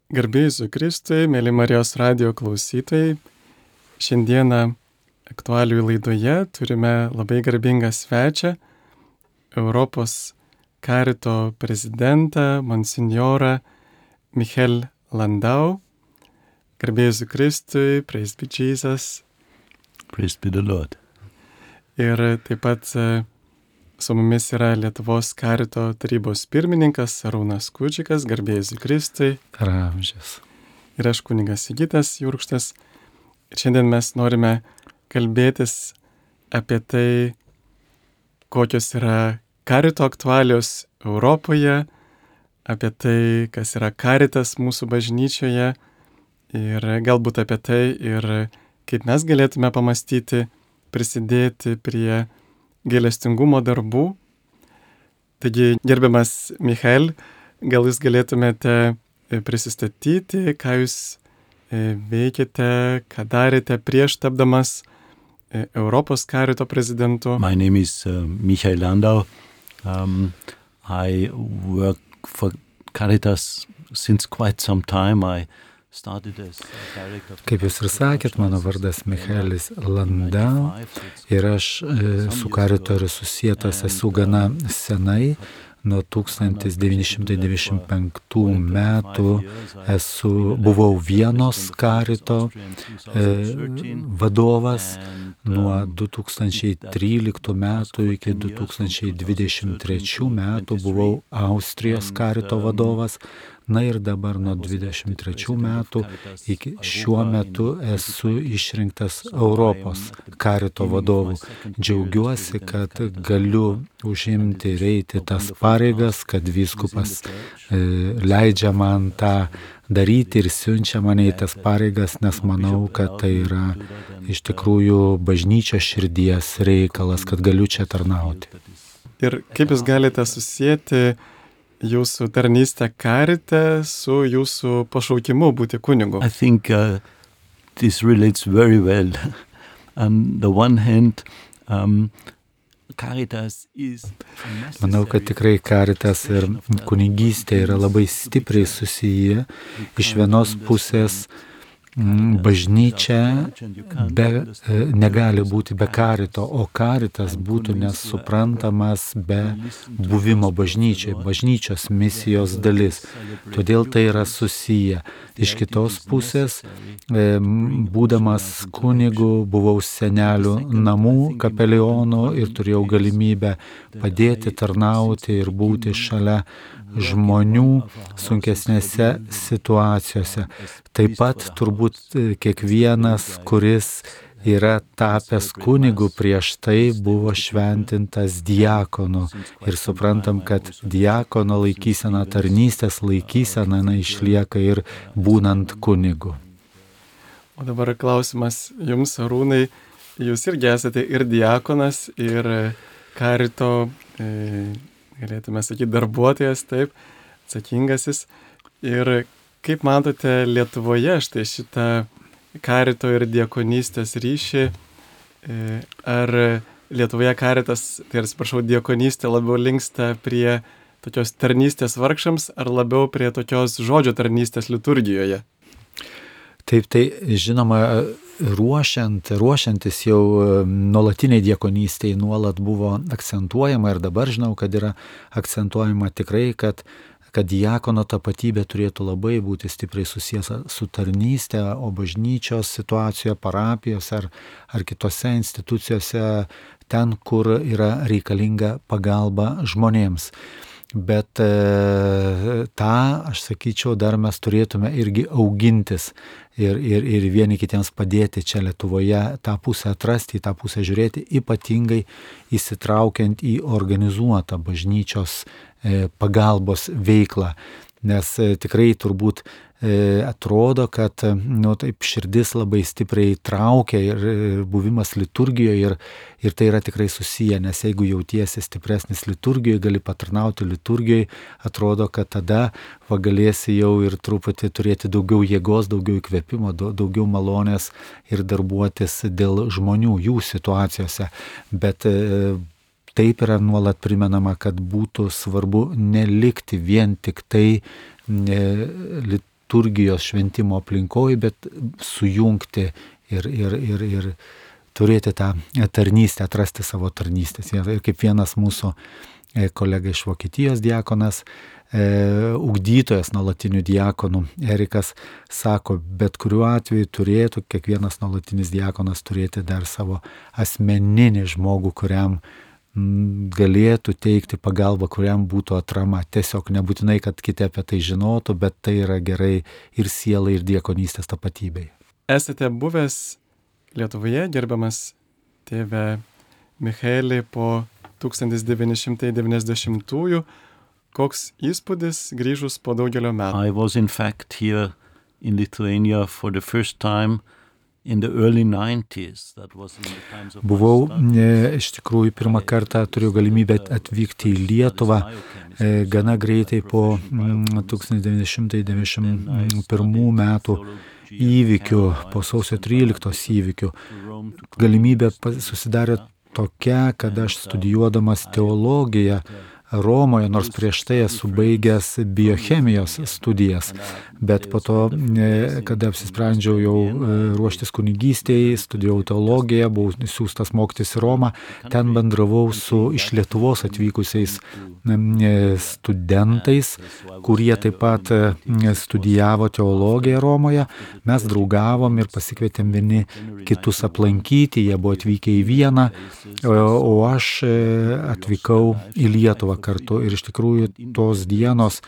Garbė Jėzui Kristui, mėly Marijos radijo klausytojai. Šiandieną aktualijų laidoje turime labai garbingą svečią, Europos karito prezidentą, monsinjorą Michael Landau. Garbė Jėzui Kristui, praise be Jesus. Praise be the Lord. Ir taip pat su mumis yra Lietuvos karito tarybos pirmininkas Arūnas Kudžikas, garbė Jėzui Kristui. Per amžius. Ir aš kunigas Sigitas Jurkštas. Ir šiandien mes norime kalbėtis apie tai, kokios yra karito aktualios Europoje, apie tai, kas yra karitas mūsų bažnyčioje ir galbūt apie tai ir kaip mes galėtume pamastyti, prisidėti prie gailestingumo darbų. Taigi, gerbiamas Michael, gal jūs galėtumėte prisistatyti, ką jūs veikėte, ką darėte prieš tapdamas Europos karito prezidentu? My name is Michael Landau. I work for Caritas since quite some time. Kaip jūs ir sakėt, mano vardas Michaelis Landau ir aš su karito ir susietas esu gana senai. Nuo 1995 metų buvau Vienos karito vadovas. Nuo 2013 metų iki 2023 metų buvau Austrijos karito vadovas. Na ir dabar nuo 23 metų iki šiuo metu esu išrinktas Europos karito vadovu. Džiaugiuosi, kad galiu užimti ir eiti tas pareigas, kad vyskupas leidžia man tą daryti ir siunčia mane į tas pareigas, nes manau, kad tai yra iš tikrųjų bažnyčios širdies reikalas, kad galiu čia tarnauti. Ir kaip jūs galite susijęti jūsų tarnystę karite su jūsų pašaukimu būti kunigu? I think this relates very well. On the one hand, Caritas is... Manau, kad tikrai karitas ir kunigystė yra labai stipriai susiję. Iš vienos pusės bažnyčia negali būti be karito, o karitas būtų nesuprantamas be buvimo bažnyčiai, bažnyčios misijos dalis. Todėl tai yra susiję. Iš kitos pusės, būdamas kunigu, buvau senelių namų kapelionu ir turėjau galimybę padėti, tarnauti ir būti šalia žmonių sunkesnėse situacijose. Taip pat turbūt kiekvienas, kuris yra tapęs kunigu, prieš tai buvo šventintas diakonu. Ir suprantam, kad diakono laikysena, tarnystės laikysena išlieka ir būnant kunigu. O dabar klausimas jums, Arūnai. Jūs irgi esate ir diakonas, ir karito galėtume sakyti, darbuotojas, taip, atsakingasis. Ir kaip matote Lietuvoje štai šitą karito ir diakonystės ryšį? Ar Lietuvoje karitas, tai atsiprašau, diakonystė labiau linksta prie tokios tarnystės vargšams, ar labiau prie tokios žodžio tarnystės liturgijoje? Taip, tai žinoma, ruošiantis jau nuolatiniai diakonystei nuolat buvo akcentuojama ir dabar žinau, kad yra akcentuojama tikrai, kad diakono tapatybė turėtų labai būti stipriai susijęs su tarnystė, o bažnyčios situacijoje, parapijose ar kitose institucijose, ten, kur yra reikalinga pagalba žmonėms. Bet tą, aš sakyčiau, dar mes turėtume irgi augintis ir vieni kitiems padėti čia Lietuvoje, tą pusę atrasti, tą pusę žiūrėti, ypatingai įsitraukiant į organizuotą bažnyčios pagalbos veiklą. Nes tikrai turbūt atrodo, kad taip širdis labai stipriai traukia ir buvimas liturgijoje ir tai yra tikrai susiję, nes jeigu jautiesi stipresnis liturgijoje, gali patarnauti liturgijoje, atrodo, kad tada galėsi jau ir truputį turėti daugiau jėgos, daugiau įkvėpimo, daugiau malonės ir darbuotis dėl žmonių, jų situacijose. Bet taip yra nuolat primenama, kad būtų svarbu nelikti vien tik tai liturgijos šventimo aplinkoje, bet sujungti ir turėti tą tarnystę, atrasti savo tarnystės. Ir kaip vienas mūsų kolega iš Vokietijos diakonas, ugdytojas nuolatinių diakonų, Erikas, sako, bet kuriuo atveju turėtų kiekvienas nuolatinis diakonas turėti dar savo asmeninį žmogų, kuriam galėtų teikti pagalbą, kuriam būtų atrama. Tiesiog nebūtinai, kad kiti apie tai žinotų, bet tai yra gerai ir sielai, ir diakonystės tapatybei. Esate buvęs Lietuvoje, gerbiamas tėve Michaelį, po 1990-ųjų. Koks įspūdis grįžus po daugelio metų? I was in fact here in Lithuania for the first time in the early 90s. That was in the times of Buvau iš tikrųjų pirmą kartą turėjau galimybę atvykti į Lietuvą gana greitai po 1991 metų įvykių, po sausio 13 įvykių. Galimybė susidarė tokia, kad aš studijuodamas teologiją Romoje, nors prieš tai esu baigęs biochemijos studijas, bet po to, kada apsisprendžiau jau ruoštis kunigystėje, studijavau teologiją, buvau siųstas mokytis į Romą, ten bendravau su iš Lietuvos atvykusiais studentais, kurie taip pat studijavo teologiją Romoje. Mes draugavom ir pasikvietėm vieni kitus aplankyti, jie buvo atvykę į Vieną, o aš atvykau į Lietuvą kartu. Ir iš tikrųjų tos dienos,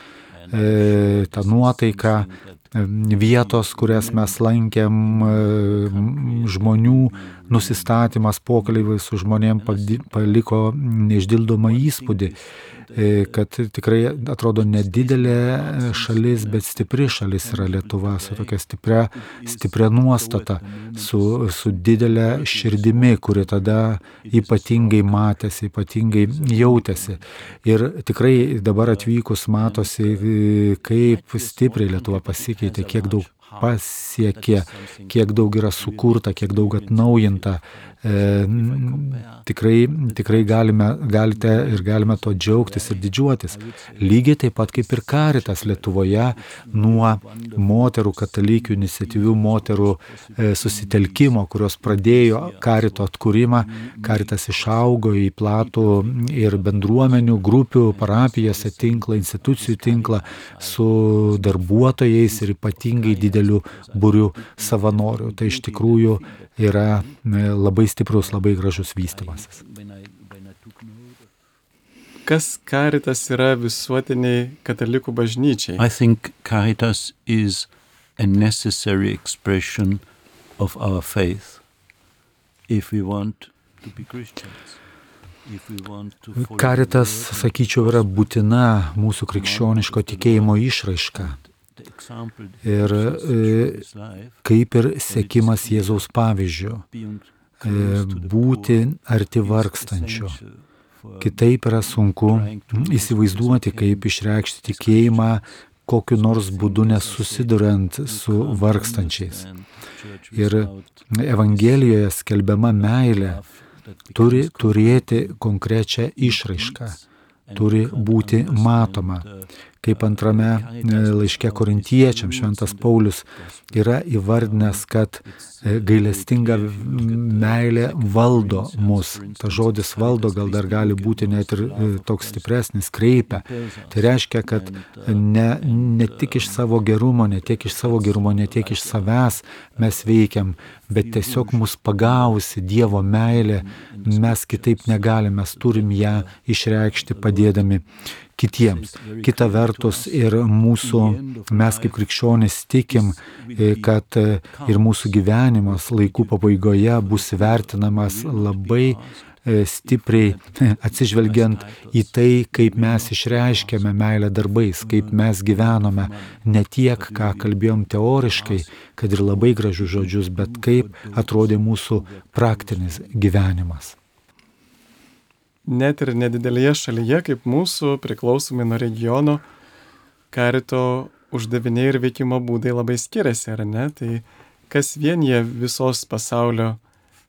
ta nuotaika, vietos, kurias mes lankėm, žmonių nusistatymas, pokalbiai su žmonėm paliko neišdildomą įspūdį, kad tikrai atrodo nedidelė šalis, bet stipri šalis yra Lietuva, su tokia stipria nuostata, su didelė širdimi, kuri tada ypatingai matėsi, ypatingai jautėsi. Ir tikrai dabar atvykus matosi, kaip stipriai Lietuva pasikeitė, kiek daug pasiekė, kiek daug yra sukurta, kiek daug atnaujinta. Tikrai galime to džiaugtis ir didžiuotis. Lygiai taip pat kaip ir Caritas Lietuvoje nuo moterų, katalikių iniciatyvių moterų susitelkimo, kurios pradėjo Carito atkūrimą. Caritas išaugo į platų ir bendruomenių, grupių, parapijose tinklą, institucijų tinklą su darbuotojais ir ypatingai dideliu būriu savanorių. Tai iš tikrųjų yra labai stiprus, labai gražus vystymasis. Kas Caritas yra visuotiniai katalikų bažnyčiai? I think Caritas is a necessary expression of our faith if we want to be Christians. Caritas, sakyčiau, yra būtina mūsų krikščioniško tikėjimo išraiška. Ir kaip ir sekimas Jėzaus pavyzdžiu, būti arti vargstančio. Kitaip yra sunku įsivaizduoti, kaip išreikšti tikėjimą kokiu nors būdu nesusiduriant su vargstančiais. Ir Evangelijoje skelbiama meilė turi turėti konkrečią išraišką, turi būti matoma. Kaip antrame laiške Korintiečiams šventas Paulius yra įvardinęs, kad gailestinga meilė valdo mus. Ta žodis valdo gal dar gali būti net ir toks stipresnis, kreipia. Tai reiškia, kad ne tik iš savo gerumo, ne tiek iš savęs mes veikiam, bet tiesiog mus pagausi Dievo meilė, mes kitaip negalime, mes turim ją išreikšti padėdami kitiems. Kita vertus ir mes kaip krikščionys tikim, kad ir mūsų gyvenimas laikų pabaigoje bus vertinamas labai stipriai atsižvelgiant į tai, kaip mes išreiškėme meilę darbais, kaip mes gyvenome, ne tiek, ką kalbėjom teoriškai, kad ir labai gražius žodžius, bet kaip atrodė mūsų praktinis gyvenimas. Net ir nedidelėje šalyje, kaip mūsų, priklausomai nuo regiono, Carito uždaviniai ir veikimo būdai labai skiriasi, ar ne? Tai kas vienyje visos pasaulio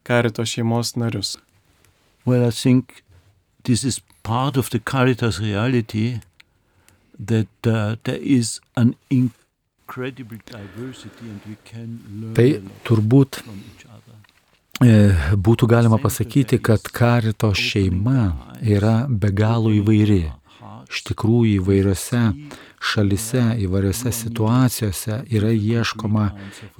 Carito šeimos narius? Well, I think this is part of the Caritas reality that there is an Tai turbūt būtų galima pasakyti, kad Karito šeima yra be galo įvairi. Iš tikrųjų įvairiose šalise, įvairiose situacijose yra ieškoma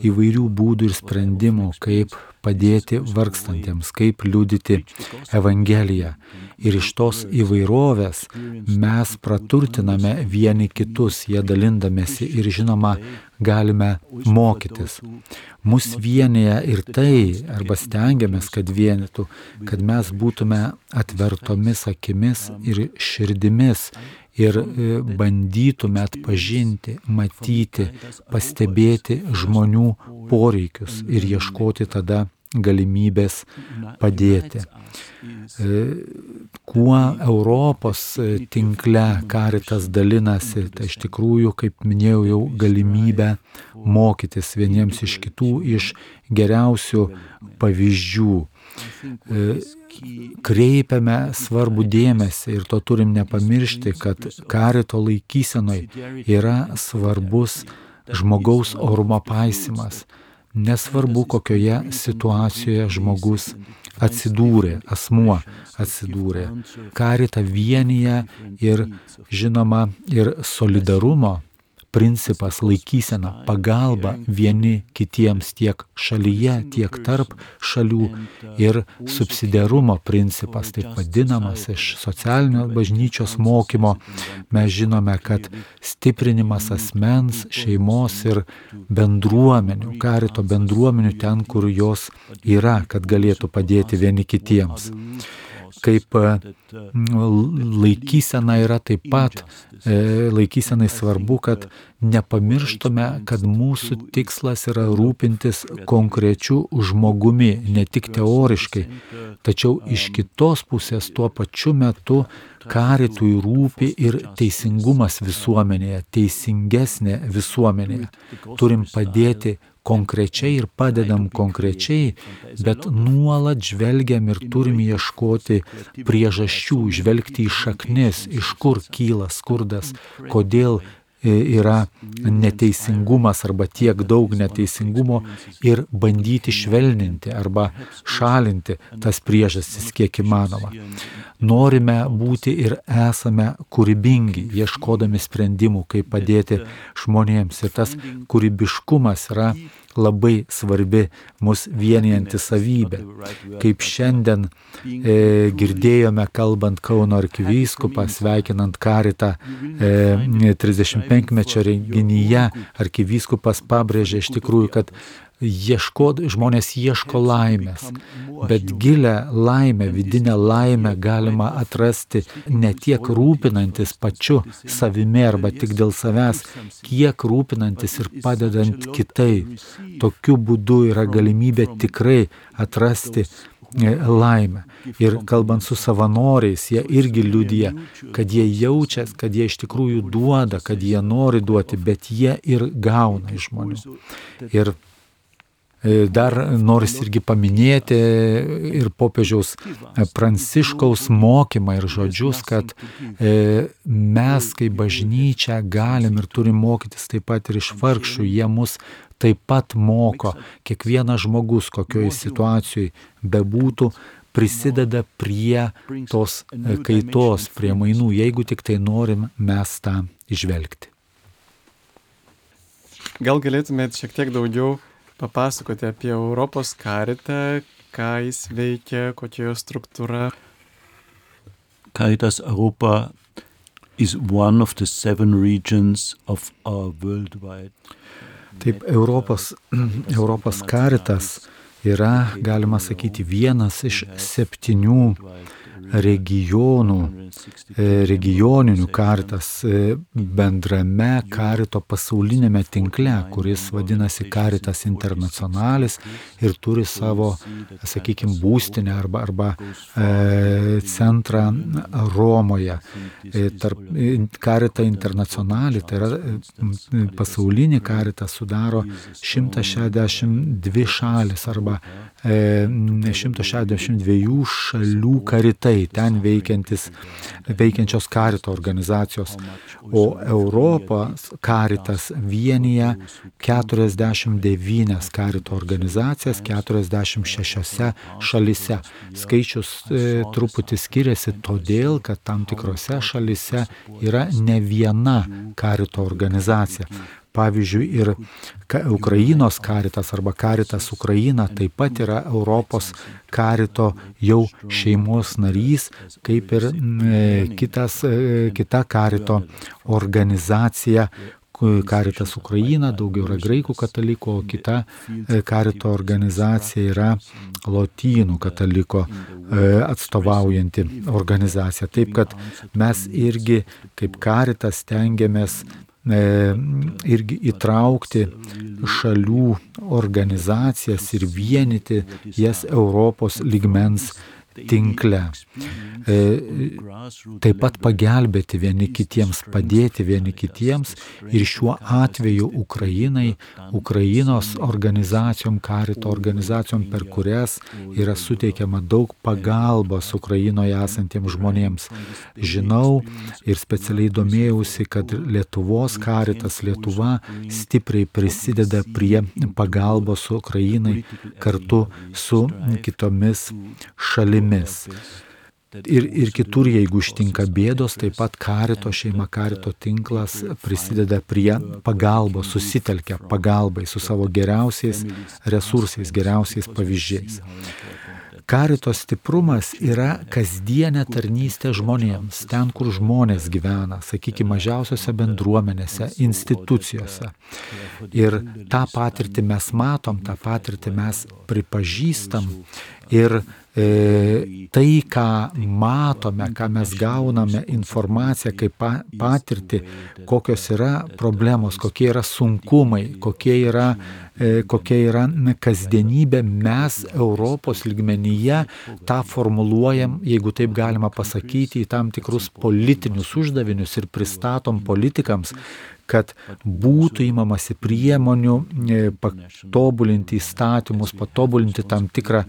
įvairių būdų ir sprendimų, kaip padėti vargstantiems, kaip liudyti Evangeliją. Ir iš tos įvairovės mes praturtiname vieni kitus, jie dalindamėsi ir žinoma galime mokytis. Mus vienyje ir tai, arba stengiamės, kad vienytų, kad mes būtume atvertomis akimis ir širdimis ir bandytume atpažinti, matyti, pastebėti žmonių poreikius ir ieškoti tada galimybės padėti. Kuo Europos tinkle Karitas dalinasi, tai iš tikrųjų, kaip minėjau, jau galimybę mokytis vieniems iš kitų iš geriausių pavyzdžių. Kreipiame svarbų dėmesį ir to turim nepamiršti, kad Karito laikysenoj yra svarbus žmogaus orumo paisymas. Nesvarbu, kokioje situacijoje žmogus atsidūrė, asmuo atsidūrė. Karitą vienyje ir, žinoma, ir solidarumo principas, laikysena, pagalba vieni kitiems tiek šalyje, tiek tarp šalių ir subsidiarumo principas, taip vadinamas iš socialinio bažnyčios mokymo. Mes žinome, kad stiprinimas asmens, šeimos ir bendruomenių, Karito bendruomenių ten, kur jos yra, kad galėtų padėti vieni kitiems. Kaip laikysena yra taip pat, laikysenai svarbu, kad nepamirštume, kad mūsų tikslas yra rūpintis konkrečiu žmogumi, ne tik teoriškai, tačiau iš kitos pusės tuo pačiu metu Karitui rūpi ir teisingumas visuomenėje, teisingesnė visuomenėje. Turim padėti konkrečiai ir padedam konkrečiai, bet nuolat žvelgiam ir turim ieškoti priežasčių, žvelgti į šaknis, iš kur kyla skurdas, kodėl yra neteisingumas arba tiek daug neteisingumo ir bandyti švelninti arba šalinti tas priežastis kiek įmanoma. Norime būti ir esame kūrybingi, ieškodami sprendimų, kaip padėti žmonėms. Ir tas kūrybiškumas yra labai svarbi mus vienijanti savybė. Kaip šiandien girdėjome, kalbant Kauno arkivyskupą, sveikinant Karitą 35-mečio renginyje, arkivyskupas pabrėžė iš tikrųjų, kad žmonės ieško laimės, bet gilę laimę, vidinę laimę galima atrasti ne tiek rūpinantis pačiu savimi arba tik dėl savęs, kiek rūpinantis ir padedant kitai. Tokiu būdu yra galimybė tikrai atrasti laimę. Ir kalbant su savanoriais, jie irgi liudija, kad jie jaučia, kad jie iš tikrųjų duoda, kad jie nori duoti, bet jie ir gauna iš žmonių. Ir dar noris irgi paminėti ir popiežiaus Pranciškaus mokymą ir žodžius, kad mes kaip bažnyčia galim ir turim mokytis taip pat ir iš vargšų. Jie mus taip pat moko. Kiekvienas žmogus, kokioje situacijoje bebūtų, prisideda prie tos kaitos, prie mainų, jeigu tik tai norim mes tą įžvelgti. Gal galėtumėt šiek tiek daugiau papasakoti apie Europos Karitą, ką jis veikia, kokia jo struktūra? Caritas Europa is one of the 7 regions of our worldwide. Taip, Europos Karitas yra, galima sakyti, vienas iš 7 regioninių Karitas bendrame Karito pasaulinėme tinkle, kuris vadinasi Karitas Internacionalis ir turi savo, sakykime, būstinę arba centrą Romoje. Karita Internacionali, tai yra pasaulinį Karitą, sudaro 162 šalis arba arba 162 šalių karitai, ten veikiančios karito organizacijos, o Europos karitas vienyje 49 karito organizacijas 46 šalyse. Skaičius truputį skiriasi todėl, kad tam tikrose šalyse yra ne viena karito organizacija. Pavyzdžiui, ir Ukrainos karitas arba karitas Ukraina taip pat yra Europos karito jau šeimos narys, kaip ir kita karito organizacija. Karitas Ukraina, daugiau yra graikų katalikų, o kita karito organizacija yra lotynų kataliko atstovaujanti organizacija. Taip, kad mes irgi kaip karitas stengiamės irgi įtraukti šalių organizacijas ir vienyti jas Europos lygmens tinkle. Taip pat pagelbėti vieni kitiems, padėti vieni kitiems ir šiuo atveju Ukrainos organizacijom, karito organizacijom, per kurias yra suteikiama daug pagalbos Ukrainoje esantiems žmonėms. Žinau ir specialiai domėjausi, kad Lietuvos karitas Lietuva stipriai prisideda prie pagalbos Ukrainai kartu su kitomis šalimis. Ir kitur, jeigu ištinka bėdos, taip pat karito šeima, karito tinklas prisideda prie pagalbos, susitelkia pagalbai su savo geriausiais resursais, geriausiais pavyzdžiais. Karito stiprumas yra kasdienė tarnystė žmonėms, ten, kur žmonės gyvena, sakykime, mažiausiose bendruomenėse, institucijose. Ir tą patirtį mes matom, tą patirtį mes pripažįstam ir tai, ką matome, ką mes gauname informaciją kaip patirtį, kokios yra problemos, kokie yra sunkumai, kokia yra kasdienybė, mes Europos lygmenyje tą formuluojam, jeigu taip galima pasakyti, į tam tikrus politinius uždavinius ir pristatom politikams, kad būtų įmamasi priemonių patobulinti įstatymus, patobulinti tam tikrą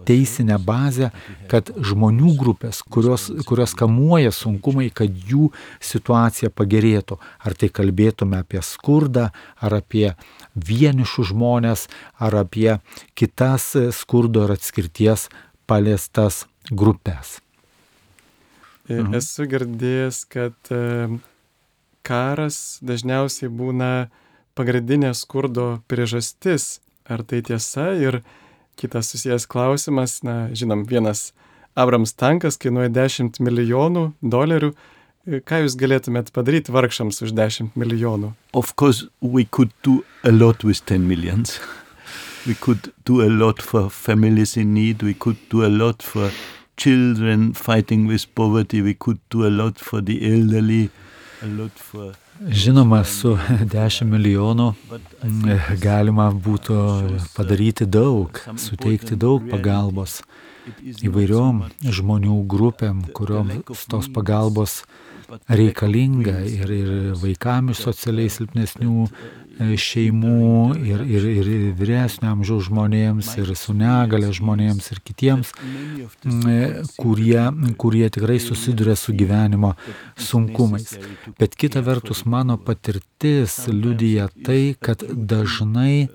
teisinę bazę, kad žmonių grupės, kurios kamuoja sunkumai, kad jų situacija pagerėtų. Ar tai kalbėtume apie skurdą, ar apie vienišus žmonės, ar apie kitas skurdo ir atskirties paliestas grupės. Esu girdėjęs, kad karas dažniausiai būna pagrindinė skurdo priežastis. Ar tai tiesa? Ir kitas susijęs klausimas, žinom, vienas Abrams tankas kainuoja $10 milijonų. Ką jūs galėtumėt padaryti vargšams už 10 milijonų? Of course, we could do a lot with 10 millions. We could do a lot for families in need. We could do a lot for children fighting with poverty. We could do a lot for the elderly. Žinoma, su 10 milijonų galima būtų padaryti daug, suteikti daug pagalbos įvairiom žmonių grupėm, kurioms tos pagalbos reikalinga ir vaikams iš socialiai silpnesnių šeimų ir vyresnio amžiaus žmonėms, ir su negale žmonėms, ir kitiems, kurie tikrai susiduria su gyvenimo sunkumais. Bet kita vertus, mano patirtis liudija tai, kad dažnai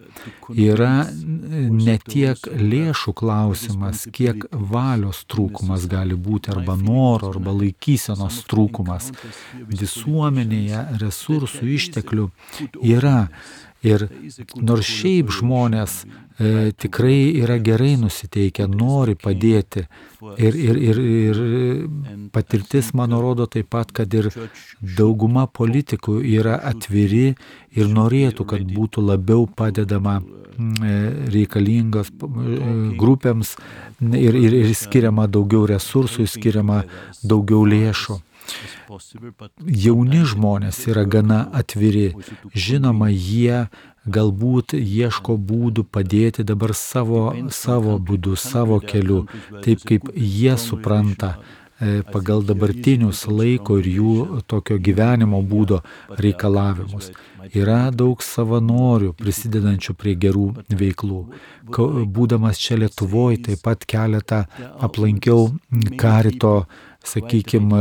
yra ne tiek lėšų klausimas, kiek valios trūkumas gali būti, arba noro, arba laikysenos trūkumas. Visuomenėje resursų išteklių yra. Ir nors šiaip žmonės tikrai yra gerai nusiteikę, nori padėti. Ir patirtis, mano rodo taip pat, kad ir dauguma politikų yra atviri ir norėtų, kad būtų labiau padedama reikalingas grupėms ir skiriama daugiau resursų, skiriama daugiau lėšų. Jauni žmonės yra gana atviri. Žinoma, jie galbūt ieško būdų padėti dabar savo būdu, savo keliu, taip kaip jie supranta pagal dabartinius laiko ir jų tokio gyvenimo būdo reikalavimus. Yra daug savanorių prisidedančių prie gerų veiklų. Būdamas čia Lietuvoje, taip pat keletą aplankiau Karito, sakykime,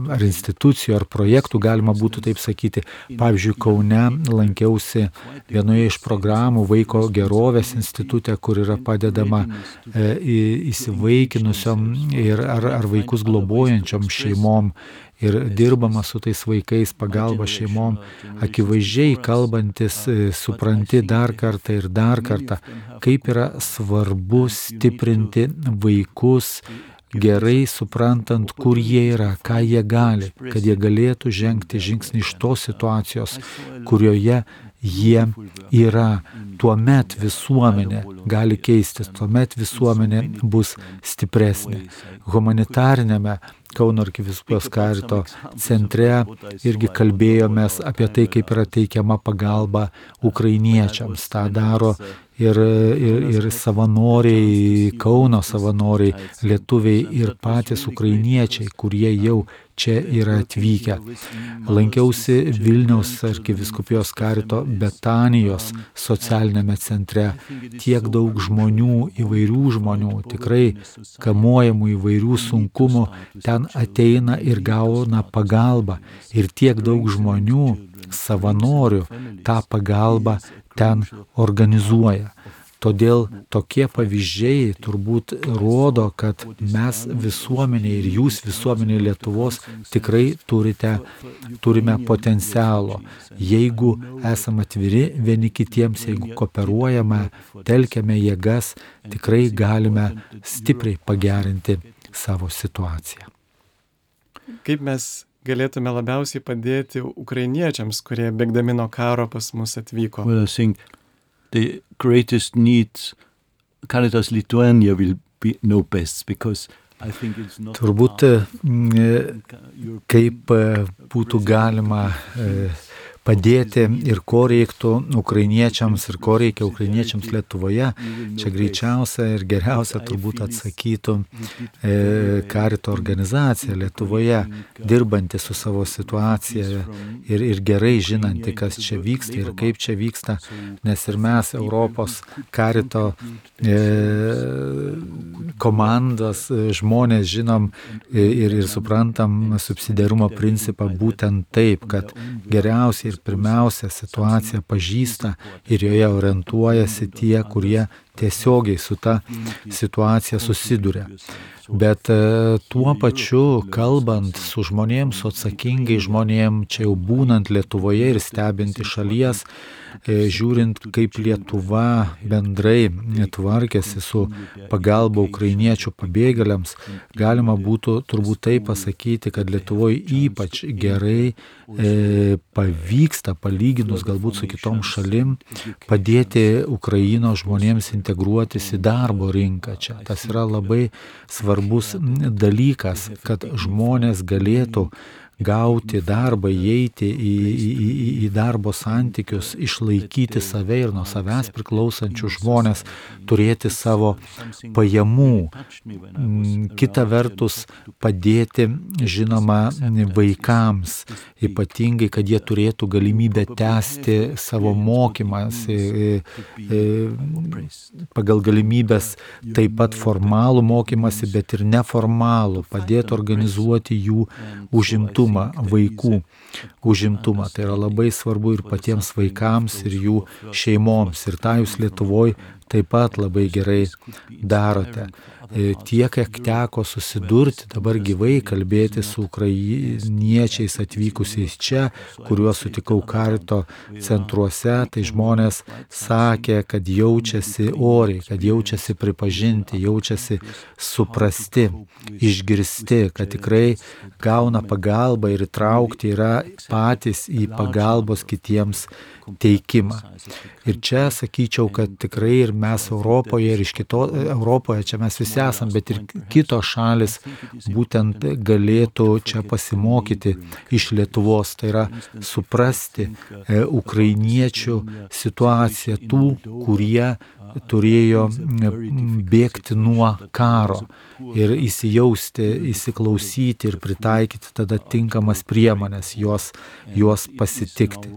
ar institucijų, ar projektų, galima būtų taip sakyti. Pavyzdžiui, Kaune lankiausi vienoje iš programų Vaiko gerovės institute, kur yra padedama įsivaikinusiom ar vaikus globojančiom šeimom ir dirbama su tais vaikais, pagalba šeimom. Akivaizdžiai kalbantis, supranti dar kartą ir dar kartą, kaip yra svarbu stiprinti vaikus, gerai suprantant, kur jie yra, ką jie gali, kad jie galėtų žengti žingsnį iš tos situacijos, kurioje jie yra. Tuomet visuomenė gali keistis, tuomet visuomenė bus stipresnė. Humanitarinėme Kauno arkivyskupijos Karito centre irgi kalbėjomės apie tai, kaip yra teikiama pagalba ukrainiečiams. Ta daro ir savanoriai, Kauno savanoriai, lietuviai ir patys ukrainiečiai, kurie jau čia yra atvykę. Lankiausi Vilniaus arkivyskupijos Karito Betanijos socialinėme centre. Tiek daug žmonių, įvairių žmonių, tikrai kamuojamų įvairių sunkumų, ten ateina ir gauna pagalbą. Ir tiek daug žmonių, savanorių, tą pagalbą ten organizuoja. Todėl tokie pavyzdžiai turbūt rodo, kad mes visuomenė ir jūs visuomenė Lietuvos tikrai turime potencialo. Jeigu esame atviri vieni kitiems, jeigu kooperuojame, telkiame jėgas, tikrai galime stipriai pagerinti savo situaciją. Kaip mes galėtume labiausiai padėti ukrainiečiams, kurie bėgdami nuo karo pas mus atvyko? Well, I think the greatest needs Caritas Lithuania will know best, because I think it's not. Turbūt kaip būtų galima padėti ir ko reiktų ukrainiečiams ir ko reikia ukrainiečiams Lietuvoje, čia greičiausia ir geriausia turbūt atsakytų Karito organizacija Lietuvoje, dirbanti su savo situacija ir gerai žinanti, kas čia vyksta ir kaip čia vyksta, nes ir mes Europos Karito komandos žmonės žinom ir suprantam subsidiarumo principą būtent taip, kad geriausiai ir pirmiausia situaciją pažįsta ir joje orientuojasi tie, kurie tiesiogiai su ta situacija susiduria. Bet tuo pačiu, kalbant su žmonėms, su atsakingai žmonėms, čia jau būnant Lietuvoje ir stebint iš šalies, žiūrint, kaip Lietuva bendrai tvarkėsi su pagalba ukrainiečių pabėgėliams, galima būtų turbūt tai pasakyti, kad Lietuvoje ypač gerai pavyksta, palyginus galbūt su kitom šalim, padėti Ukrainos žmonėms integruotis į darbo rinką čia. Tas yra labai svarbus dalykas, kad žmonės galėtų gauti darbą, įeiti į darbo santykius, išlaikyti save ir nuo savęs priklausančių žmonės, turėti savo pajamų. Kita vertus, padėti, žinoma, vaikams, ypatingai, kad jie turėtų galimybę tęsti savo mokymas, pagal galimybės taip pat formalų mokymasi, bet ir neformalų, padėti organizuoti jų užimtumą, vaikų užimtumą. Tai yra labai svarbu ir patiems vaikams, ir jų šeimoms. Ir tą jūs Lietuvoje taip pat labai gerai darote. Tiek, kiek teko susidurti, dabar gyvai kalbėti su ukrainiečiais atvykusiais čia, kuriuos sutikau Karito centruose, tai žmonės sakė, kad jaučiasi oriai, kad jaučiasi pripažinti, jaučiasi suprasti, išgirsti, kad tikrai gauna pagalbą ir įtraukti yra patys į pagalbos kitiems teikimą. Ir čia sakyčiau, kad tikrai ir mes Europoje ir iš Europoje, čia mes visi esam, bet ir kitos šalis būtent galėtų čia pasimokyti iš Lietuvos, tai yra suprasti ukrainiečių situaciją, tų, kurie turėjo bėgti nuo karo ir įsijausti, įsiklausyti ir pritaikyti tada tinkamas priemonės, juos pasitikti.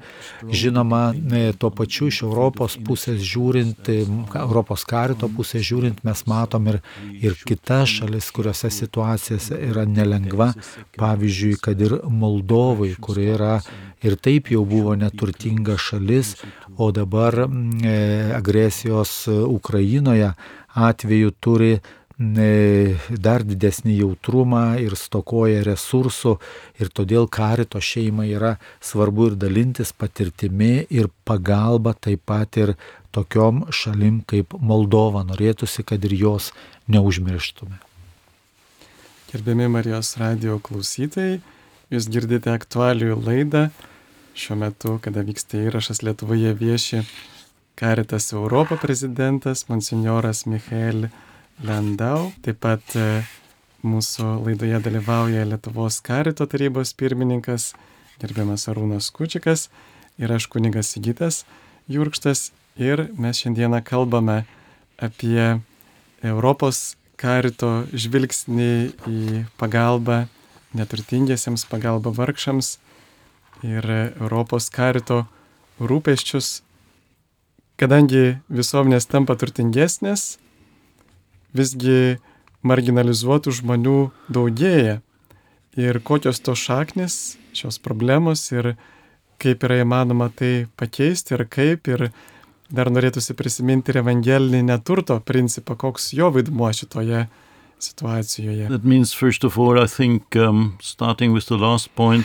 Žinoma, tuo pačiu iš Europos pusės žiūrint, Europos karito pusės žiūrint, mes matom ir kitas šalis, kuriuose situacijose yra nelengva, pavyzdžiui, kad ir Moldovai, kuri yra ir taip jau buvo neturtinga šalis, o dabar agresijos Ukrainoje atveju turi dar didesnį jautrumą ir stokoja resursų ir todėl karito šeimai yra svarbu ir dalintis patirtimi ir pagalba taip pat ir tokiom šalim kaip Moldova. Norėtųsi, kad ir jos neužmirštume. Gerbiami Marijos radijo klausytojai, jūs girdite aktualijų laidą. Šiuo metu, kada vyksta įrašas, Lietuvoje vieši Caritas Europa prezidentas, monsinjoras Michael Landau. Taip pat mūsų laidoje dalyvauja Lietuvos karito tarybos pirmininkas, gerbiamas Arūnas Kučikas ir aš kunigas Sigitas Jurkštas. Ir mes šiandieną kalbame apie Europos karito žvilgsnį į pagalbą neturtingiesiems, pagalbą vargšams ir Europos karito rūpesčius. Kadangi visuomenės tampa turtingesnės, visgi marginalizuotų žmonių daugėja. Ir kokios to šaknys, šios problemos ir kaip yra įmanoma tai pakeisti ir kaip. Ir dar norėtųsi prisiminti ir evangelinį neturto principą, koks jo vaidmuo šitoje situacijoje. That means, first of all, I think, starting with the last point,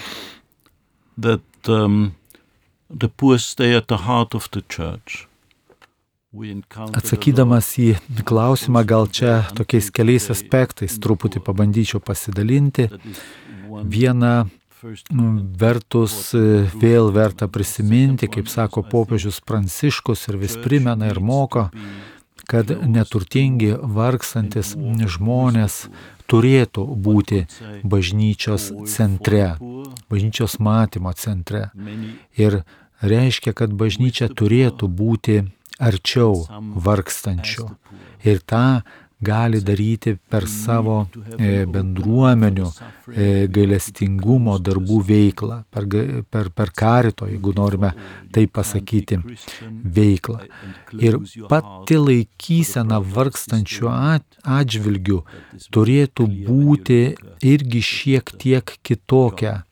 that the poor stay at the heart of the church. Atsakydamas į klausimą, gal čia tokiais keliais aspektais truputį pabandyčiau pasidalinti. Viena vertus vėl verta prisiminti, kaip sako popiežius Pranciškus ir vis primena ir moko, kad neturtingi, vargstantis žmonės turėtų būti bažnyčios centre, bažnyčios matymo centre. Ir reiškia, kad bažnyčia turėtų būti arčiau vargstančių. Ir tą gali daryti per savo bendruomenių gailestingumo darbų veiklą, per karito, jeigu norime tai pasakyti, veiklą. Ir pati laikysena vargstančių atžvilgių turėtų būti irgi šiek tiek kitokia.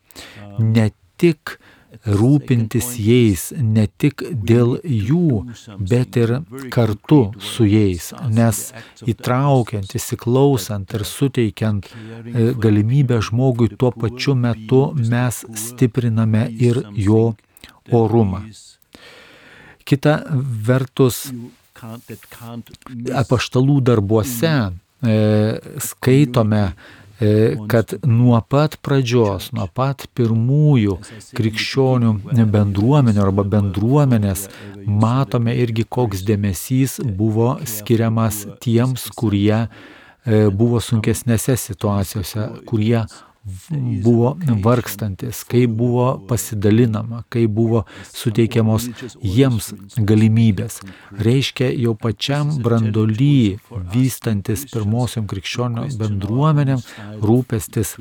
Ne tik rūpintis jais, ne tik dėl jų, bet ir kartu su jais, nes įtraukiant, įsiklausant ir suteikiant galimybę žmogui tuo pačiu metu mes stipriname ir jo orumą. Kita vertus, apaštalų darbuose skaitome, kad nuo pat pradžios, nuo pat pirmųjų krikščionių bendruomenių arba bendruomenės matome irgi, koks dėmesys buvo skiriamas tiems, kurie buvo sunkesnėse situacijose, kurie buvo vargstantis, kaip buvo pasidalinama, kaip buvo suteikiamos jiems galimybės. Reiškia, jau pačiam branduoly vystantis pirmosiom krikščionių bendruomenėm rūpestis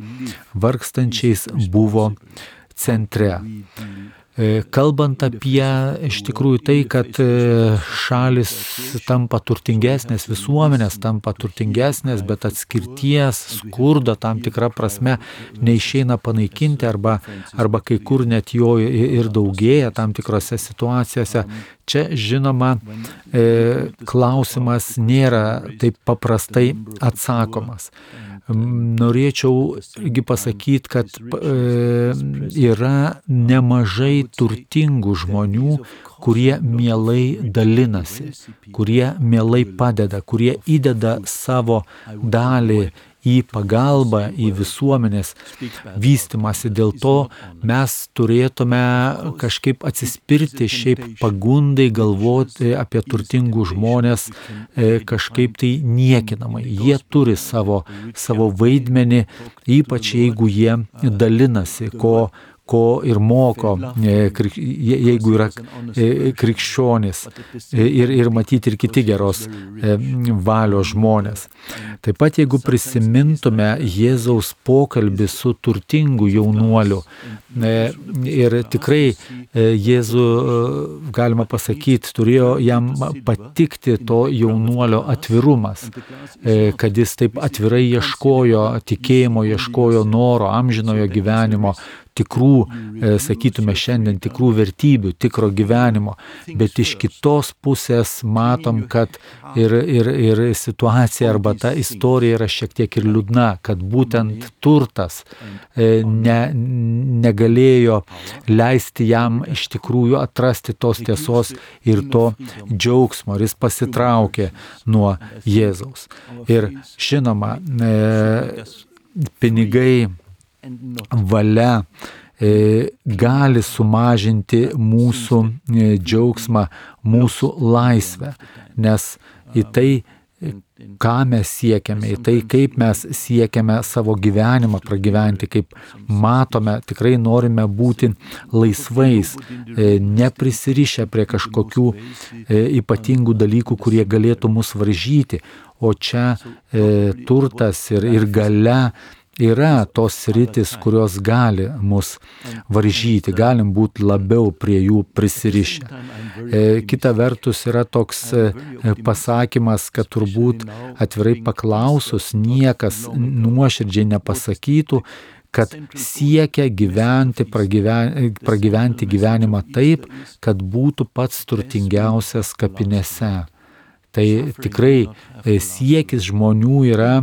vargstančiais buvo centre. Kalbant apie iš tikrųjų tai, kad šalis tampa turtingesnės, visuomenės tampa turtingesnės, bet atskirties, skurdo tam tikrą prasme neišeina panaikinti arba kai kur net jo ir daugėja tam tikrose situacijose. Čia, žinoma, klausimas nėra taip paprastai atsakomas. Norėčiau pasakyti, kad yra nemažai turtingų žmonių, kurie mielai dalinasi, kurie mielai padeda, kurie įdeda savo dalį į pagalbą, į visuomenės vystimąsi. Dėl to mes turėtume kažkaip atsispirti šiaip pagundai galvoti apie turtingus žmonės kažkaip tai niekinamai. Jie turi savo vaidmenį, ypač jeigu jie dalinasi, ko ir moko, jeigu yra krikščionys ir matyti ir kiti geros valios žmonės. Taip pat, jeigu prisimintume Jėzaus pokalbį su turtingu jaunuoliu, ir tikrai Jėzų, galima pasakyti, turėjo jam patikti to jaunuolio atvirumas, kad jis taip atvirai ieškojo tikėjimo, ieškojo noro, amžinojo gyvenimo, tikrų, sakytume šiandien, tikrų vertybių, tikro gyvenimo, bet iš kitos pusės matom, kad ir situacija arba ta istorija yra šiek tiek ir liūdna, kad būtent turtas negalėjo leisti jam iš tikrųjų atrasti tos tiesos ir to džiaugsmo, ir jis pasitraukė nuo Jėzaus. Ir žinoma, pinigai, valia gali sumažinti mūsų džiaugsmą, mūsų laisvę, nes į tai, ką mes siekiame, į tai, kaip mes siekiame savo gyvenimą pragyventi, kaip matome, tikrai norime būti laisvais, neprisirišę prie kažkokių ypatingų dalykų, kurie galėtų mus varžyti, o čia turtas ir galia yra tos sritis, kurios gali mus varžyti, galim būti labiau prie jų prisirišę. Kita vertus yra toks pasakymas, kad turbūt atvirai paklausus niekas nuoširdžiai nepasakytų, kad siekia pragyventi gyvenimą taip, kad būtų pats turtingiausias kapinėse. Tai tikrai siekis žmonių yra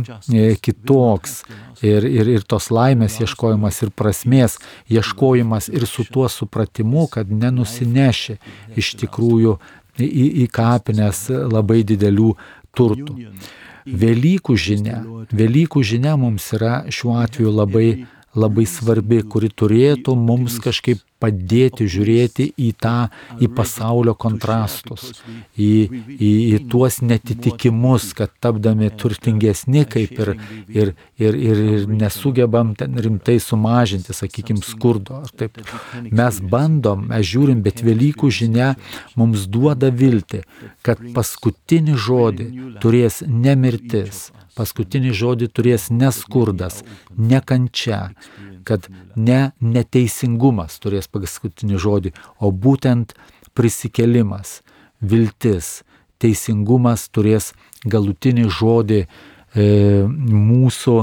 kitoks ir tos laimės ieškojimas ir prasmės ieškojimas ir su tuo supratimu, kad nenusineši iš tikrųjų į kapines labai didelių turtų. Velykų žinia mums yra šiuo atveju labai svarbi, kuri turėtų mums kažkaip padėti žiūrėti į pasaulio kontrastus, į tuos netitikimus, kad tapdami turtingesni kaip ir nesugebam ten rimtai sumažinti, sakykime, skurdo. Taip. Mes žiūrim, bet Velykų žinia mums duoda viltį, kad paskutinį žodį turės ne mirtis, paskutinį žodį turės ne skurdas, ne kančia, kad ne neteisingumas turės paskutinį žodį, o būtent prisikėlimas, viltis, teisingumas turės galutinį žodį mūsų,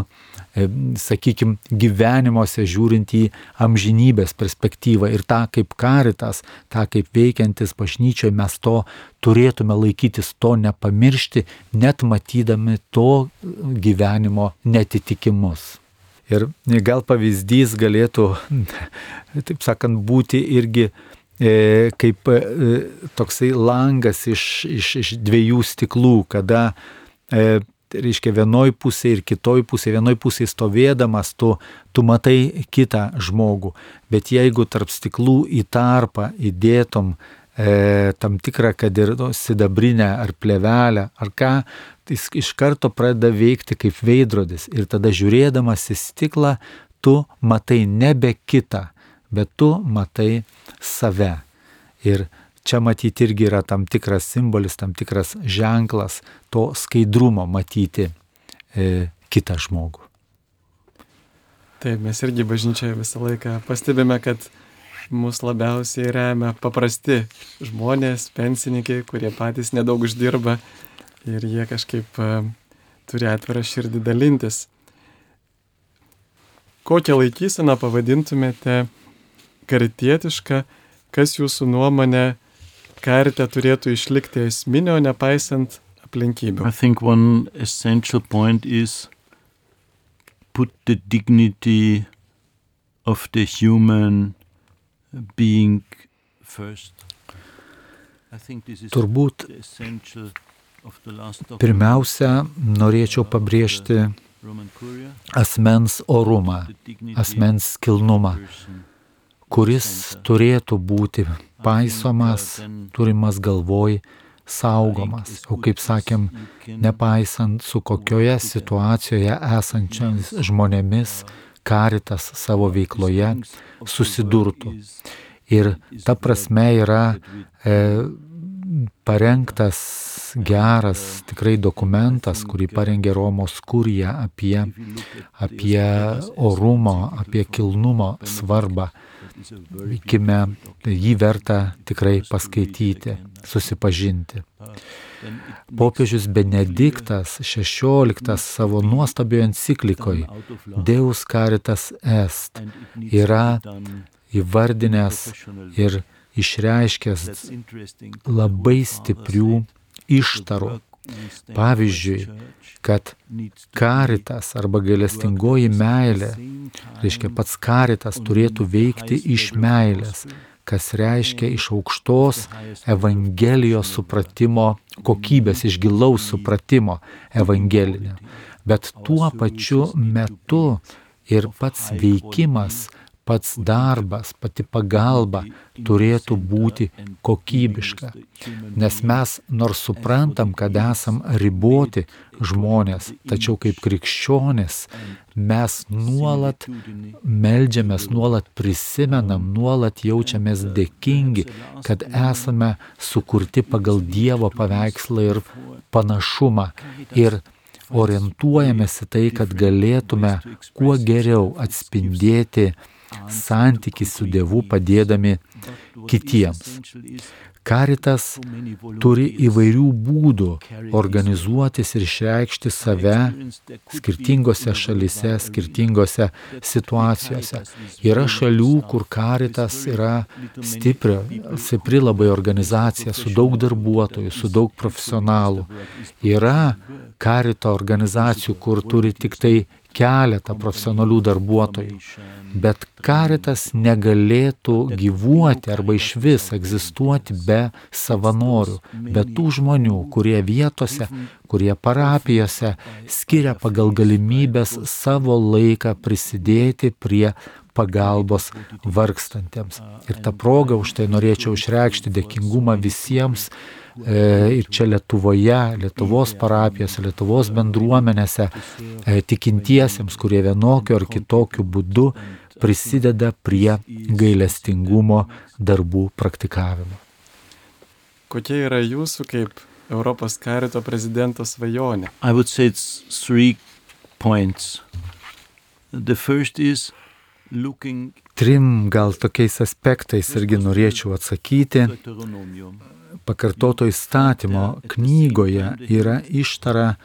sakykime, gyvenimuose žiūrint į amžinybės perspektyvą ir tą kaip Karitas, tą kaip veikiantis bažnyčioje mes to turėtume laikytis, to nepamiršti, net matydami to gyvenimo netitikimus. Ir gal pavyzdys galėtų, taip sakant, būti irgi kaip toksai langas iš dviejų stiklų, kada, reiškia, vienoj pusėje ir kitoj pusėje, vienoj pusėje stovėdamas, tu matai kitą žmogų, bet jeigu tarp stiklų į tarpą įdėtum tam tikrą, kad ir sidabrinę ar plėvelę, ar ką, jis iš karto pradeda veikti kaip veidrodis ir tada žiūrėdamas į stiklą, tu matai nebe kitą, bet tu matai save. Ir čia matyti irgi yra tam tikras simbolis, tam tikras ženklas to skaidrumo matyti kitą žmogų. Taip, mes irgi bažnyčioje visą laiką pastebime, kad mus labiausiai remia paprasti žmonės, pensininkai, kurie patys nedaug uždirba ir jie kažkaip turi atvirą širdį dalintis. Kokią laikyseną pavadintumėte karitietišką, kas jūsų nuomonė karite turėtų išlikti esminio, nepaisant aplinkybių? I think one essential point is put the dignity of the human being first. Turbūt pirmiausia norėčiau pabrėžti asmens orumą, asmens kilnumą, kuris turėtų būti paisomas, turimas galvoj, saugomas. O kaip sakėm, nepaisant su kokioje situacijoje esančiais žmonėmis Caritas savo veikloje susidurtų. Ir ta prasme yra parengtas geras tikrai dokumentas, kurį parengė Romos kurija apie orumo, apie kilnumo svarbą. Vykime, jį verta tikrai paskaityti, susipažinti. Popiežius Benediktas XVI savo nuostabioje enciklikoje Deus Caritas Est yra įvardinęs ir išreiškęs labai stiprių ištarų. Pavyzdžiui, kad Caritas arba gailestingoji meilė, reiškia pats Caritas turėtų veikti iš meilės, kas reiškia iš aukštos Evangelijos supratimo kokybės, iš gilaus supratimo evangelinio. Bet tuo pačiu metu ir pats veikimas, pats darbas, pati pagalba turėtų būti kokybiška. Nes mes nors suprantam, kad esam riboti žmonės, tačiau kaip krikščionys mes nuolat meldžiamės, nuolat prisimenam, nuolat jaučiamės dėkingi, kad esame sukurti pagal Dievo paveikslą ir panašumą. Ir orientuojamės į tai, kad galėtume kuo geriau atspindėti santykį su Dievu padėdami kitiems. Caritas turi įvairių būdų organizuotis ir išreikšti save skirtingose šalyse, skirtingose situacijose. Yra šalių, kur Caritas yra stipri labai organizacija, su daug darbuotojų, su daug profesionalų. Yra Carito organizacijų, kur turi tik tai keletą profesionalių darbuotojų. Bet Caritas negalėtų gyvuoti arba išvis egzistuoti be savanorių, be tų žmonių, kurie vietose, kurie parapijose skiria pagal galimybės savo laiką prisidėti prie pagalbos vargstantiems. Ir tą progą už tai norėčiau išreikšti dėkingumą visiems ir čia Lietuvoje, Lietuvos parapijose, Lietuvos bendruomenėse tikintiesiems, kurie vienokiu ar kitokiu būdu prisideda prie gailestingumo darbų praktikavimo. Kokia yra jūsų kaip Europos Carito prezidento svajonė? I would say it's 3 points. The first is looking 3 gal tokiais aspektais irgi norėčiau atsakyti. Pakartoto įstatymo knygoje yra ištara,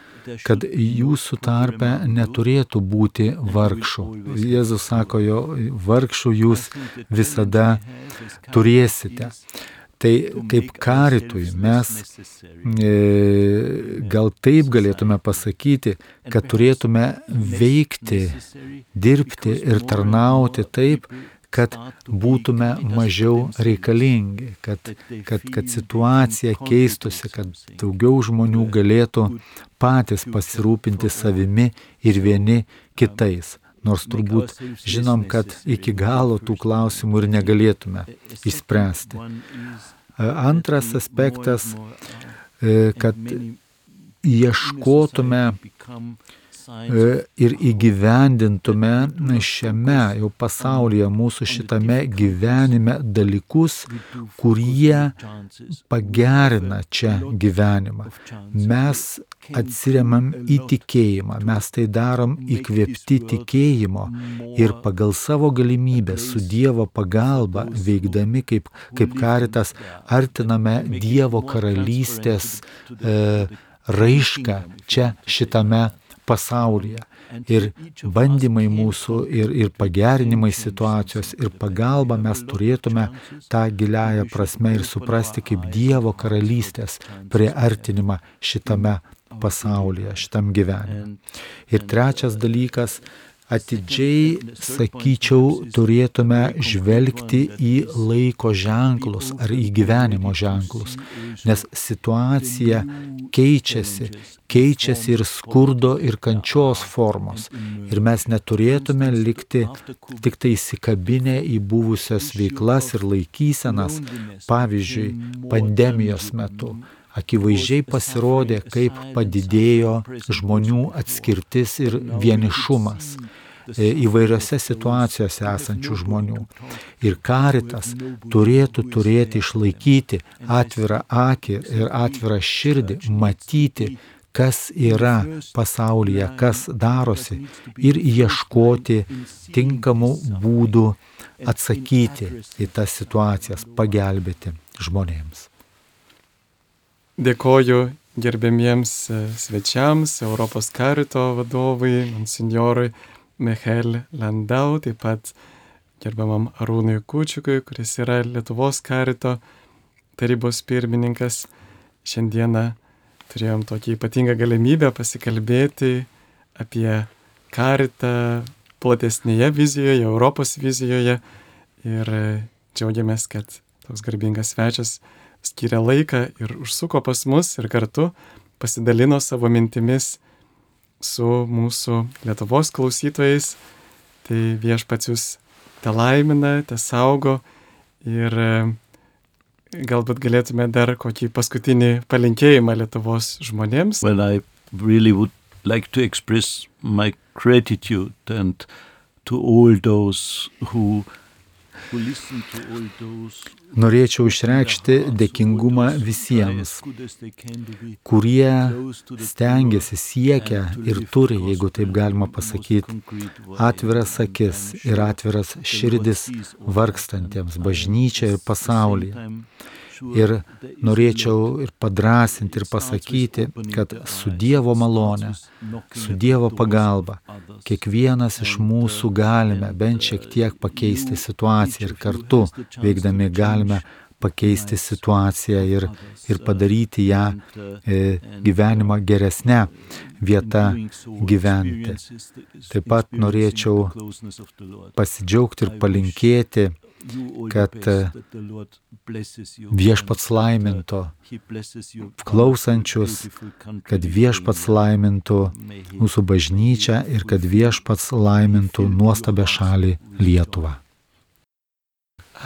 kad jūsų tarpe neturėtų būti vargšų. Jėzus sako, jo vargšų jūs visada turėsite. Tai kaip Caritui mes gal taip galėtume pasakyti, kad turėtume veikti, dirbti ir tarnauti taip, kad būtume mažiau reikalingi, kad situacija keistusi, kad daugiau žmonių galėtų patys pasirūpinti savimi ir vieni kitais. Nors turbūt žinom, kad iki galo tų klausimų ir negalėtume išspręsti. Antras aspektas, kad ieškotume ir įgyvendintume šiame jau pasaulyje, mūsų šitame gyvenime dalykus, kurie pagerina čia gyvenimą. Mes atsiremiam į tikėjimą, mes tai darom įkvėpti tikėjimo ir pagal savo galimybę su Dievo pagalba veikdami kaip Caritas artiname Dievo karalystės raišką čia šitame pasaulyje. Ir bandymai mūsų, ir pagerinimai situacijos, ir pagalba mes turėtume tą giliąją prasme ir suprasti kaip Dievo karalystės priartinimą šitame pasaulyje, šitam gyvenime. Ir trečias dalykas, atidžiai, sakyčiau, turėtume žvelgti į laiko ženklus ar į gyvenimo ženklus, nes situacija keičiasi ir skurdo ir kančios formos. Ir mes neturėtume likti tik tai įsikabinę į buvusias veiklas ir laikysenas. Pavyzdžiui, pandemijos metu akivaizdžiai pasirodė, kaip padidėjo žmonių atskirtis ir vienišumas įvairiose situacijose esančių žmonių. Ir Caritas turėtų išlaikyti atvirą akį ir atvirą širdį, matyti, kas yra pasaulyje, kas darosi ir ieškoti tinkamų būdų atsakyti į tas situacijas, pagelbėti žmonėms. Dėkoju gerbėmiems svečiams, Europos Carito vadovui, monsinjorui Michael Landau, taip pat gerbiamam Arūnui Kūčiukui, kuris yra Lietuvos Carito tarybos pirmininkas. Šiandieną turėjom tokį ypatingą galimybę pasikalbėti apie Caritą platesnėje vizijoje, Europos vizijoje ir džiaugiamės, kad toks garbingas svečias skiria laiką ir užsuko pas mus ir kartu pasidalino savo mintimis su mūsų Lietuvos klausytojais. Tai Viešpats jūs te laimina, te saugo ir galbūt galėtume dar kokį paskutinį palinkėjimą Lietuvos žmonėms. Well, I really would like to express my gratitude and to all those who listen to all those. Norėčiau išreikšti dėkingumą visiems, kurie stengiasi, siekia ir turi, jeigu taip galima pasakyti, atviras akis ir atviras širdis vargstantiems bažnyčia ir pasaulyje. Ir norėčiau ir padrąsinti ir pasakyti, kad su Dievo malone, su Dievo pagalba, kiekvienas iš mūsų galime bent šiek tiek pakeisti situaciją ir kartu veikdami galime pakeisti situaciją ir padaryti ją gyvenimą geresnę vietą gyventi. Taip pat norėčiau pasidžiaugti ir palinkėti, kad Viešpats laimintų klausančius, kad Viešpats laimintų mūsų bažnyčią ir kad Viešpats laimintų nuostabią šalį Lietuvą.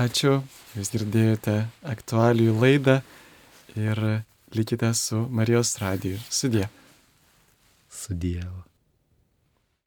Ačiū, jūs girdėjote aktualijų laidą ir likite su Marijos radiju. Sudie. Su Dievu.